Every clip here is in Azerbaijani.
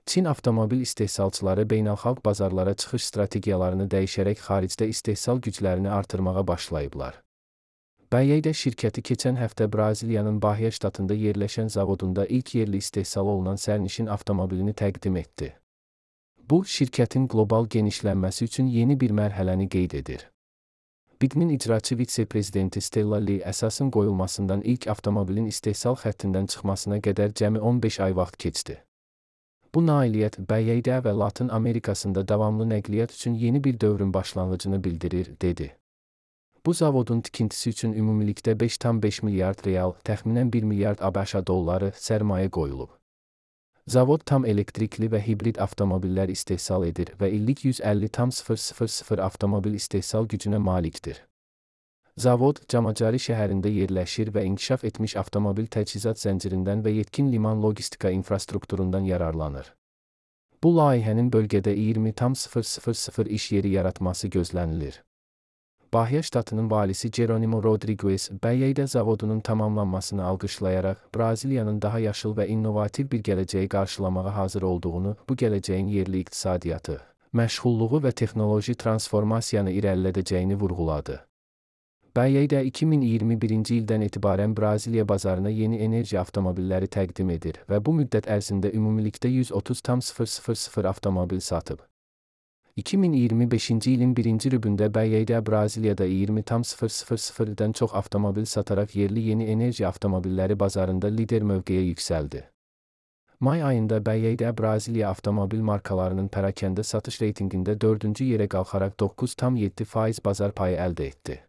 Çin avtomobil istehsalçıları beynəlxalq bazarlara çıxış strategiyalarını dəyişərək xaricdə istehsal güclərini artırmağa başlayıblar. BYD şirkəti keçən həftə Braziliyanın Bahia ştatında yerləşən zavodunda ilk yerli istehsal olunan sərnişin avtomobilini təqdim etdi. Bu, şirkətin qlobal genişlənməsi üçün yeni bir mərhələni qeyd edir. BYD-nin icraçı vitse-prezidenti Stella Li əsasın qoyulmasından ilk avtomobilin istehsal xəttindən çıxmasına qədər cəmi 15 ay vaxt keçdi. Bu nailiyyət BYD və Latın Amerikasında davamlı nəqliyyat üçün yeni bir dövrün başlanğıcını bildirir, dedi. Bu zavodun tikintisi üçün ümumilikdə 5,5 milyard real, təxminən 1 milyard ABŞ dolları sərmayə qoyulub. Zavod tam elektrikli və hibrid avtomobillər istehsal edir və illik 150,000 avtomobil istehsal gücünə malikdir. Zavod, Camacari şəhərində yerləşir və inkişaf etmiş avtomobil təchizat zəncirindən və yetkin liman logistika infrastrukturundan yararlanır. Bu layihənin bölgədə 20,000 iş yeri yaratması gözlənilir. Bahia ştatının valisi Geronimo Rodrigues, BYD zavodunun tamamlanmasını alqışlayaraq, Braziliyanın daha yaşıl və innovativ bir gələcəyi qarşılamağa hazır olduğunu, bu gələcəyin yerli iqtisadiyyatı, məşğulluğu və texnoloji transformasiyanı irəlilədəcəyini vurğuladı. BYD 2021-ci ildən etibarən Braziliya bazarına yeni enerji avtomobilləri təqdim edir və bu müddət ərzində ümumilikdə 130,000 avtomobil satıb. 2025-ci ilin birinci rübündə BYD Braziliyada 20,000-dən çox avtomobil sataraq yerli yeni enerji avtomobilləri bazarında lider mövqeyə yüksəldi. May ayında BYD Braziliya avtomobil markalarının pərakəndə satış reytinqində 4-cü yerə qalxaraq 9,7% bazar payı əldə etdi.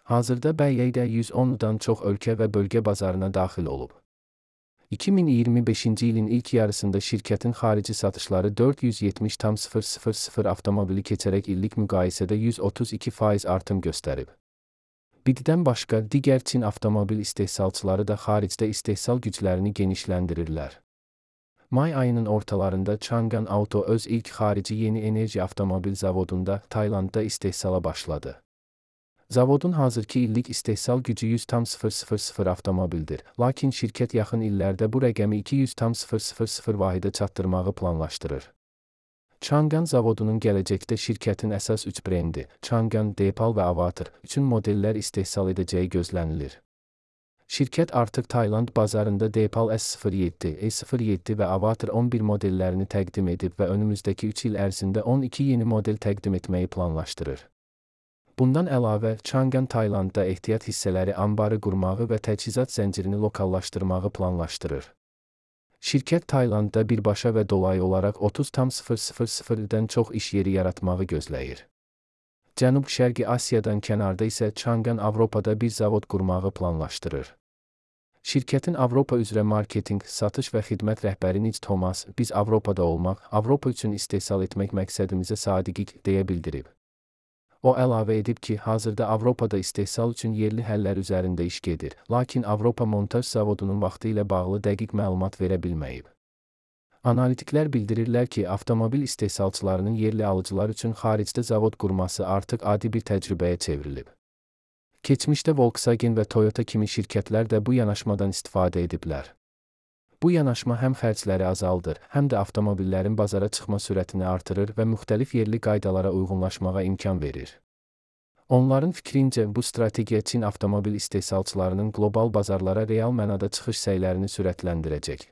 Hazırda BYD 110-dan çox ölkə və bölgə bazarına daxil olub. 2025-ci ilin ilk yarısında şirkətin xarici satışları 470,000 avtomobili keçərək illik müqayisədə 132% artım göstərib. BYD-dən başqa digər Çin avtomobil istehsalçıları da xaricdə istehsal güclərini genişləndirirlər. May ayının ortalarında Changan Auto öz ilk xarici yeni enerji avtomobil zavodunda Taylandda istehsala başladı. Zavodun hazırki illik istehsal gücü 100,000 avtomobildir, lakin şirkət yaxın illərdə bu rəqəmi 200,000 vahidə çatdırmağı planlaşdırır. Changan zavodunun gələcəkdə şirkətin əsas 3 brendi, Changan, Deepal və Avatar üçün modellər istehsal edəcəyi gözlənilir. Şirkət artıq Tayland bazarında Deepal S07, E07 və Avatar 11 modellərini təqdim edib və önümüzdəki 3 il ərzində 12 yeni model təqdim etməyi planlaşdırır. Bundan əlavə, Changan Taylandda ehtiyat hissələri anbarı qurmağı və təchizat zəncirini lokallaşdırmağı planlaşdırır. Şirkət Taylandda birbaşa və dolayı olaraq 30,000-dən çox iş yeri yaratmağı gözləyir. Cənub-Şərqi Asiyadan kənarda isə Changan Avropada bir zavod qurmağı planlaşdırır. Şirkətin Avropa üzrə marketinq, satış və xidmət rəhbəri Nic Thomas, biz Avropada olmaq, Avropa üçün istehsal etmək məqsədimizə sadiqik, deyə bildirib. O əlavə edib ki, hazırda Avropada istehsal üçün yerli həllər üzərində iş gedir, lakin Avropa montaj zavodunun vaxtı ilə bağlı dəqiq məlumat verə bilməyib. Analitiklər bildirirlər ki, avtomobil istehsalçılarının yerli alıcılar üçün xaricdə zavod qurması artıq adi bir təcrübəyə çevrilib. Keçmişdə Volkswagen və Toyota kimi şirkətlər də bu yanaşmadan istifadə ediblər. Bu yanaşma həm xərcləri azaldır, həm də avtomobillərin bazara çıxma sürətini artırır və müxtəlif yerli qaydalara uyğunlaşmağa imkan verir. Onların fikrincə, bu strategiya Çin avtomobil istehsalçılarının qlobal bazarlara real mənada çıxış səylərini sürətləndirəcək.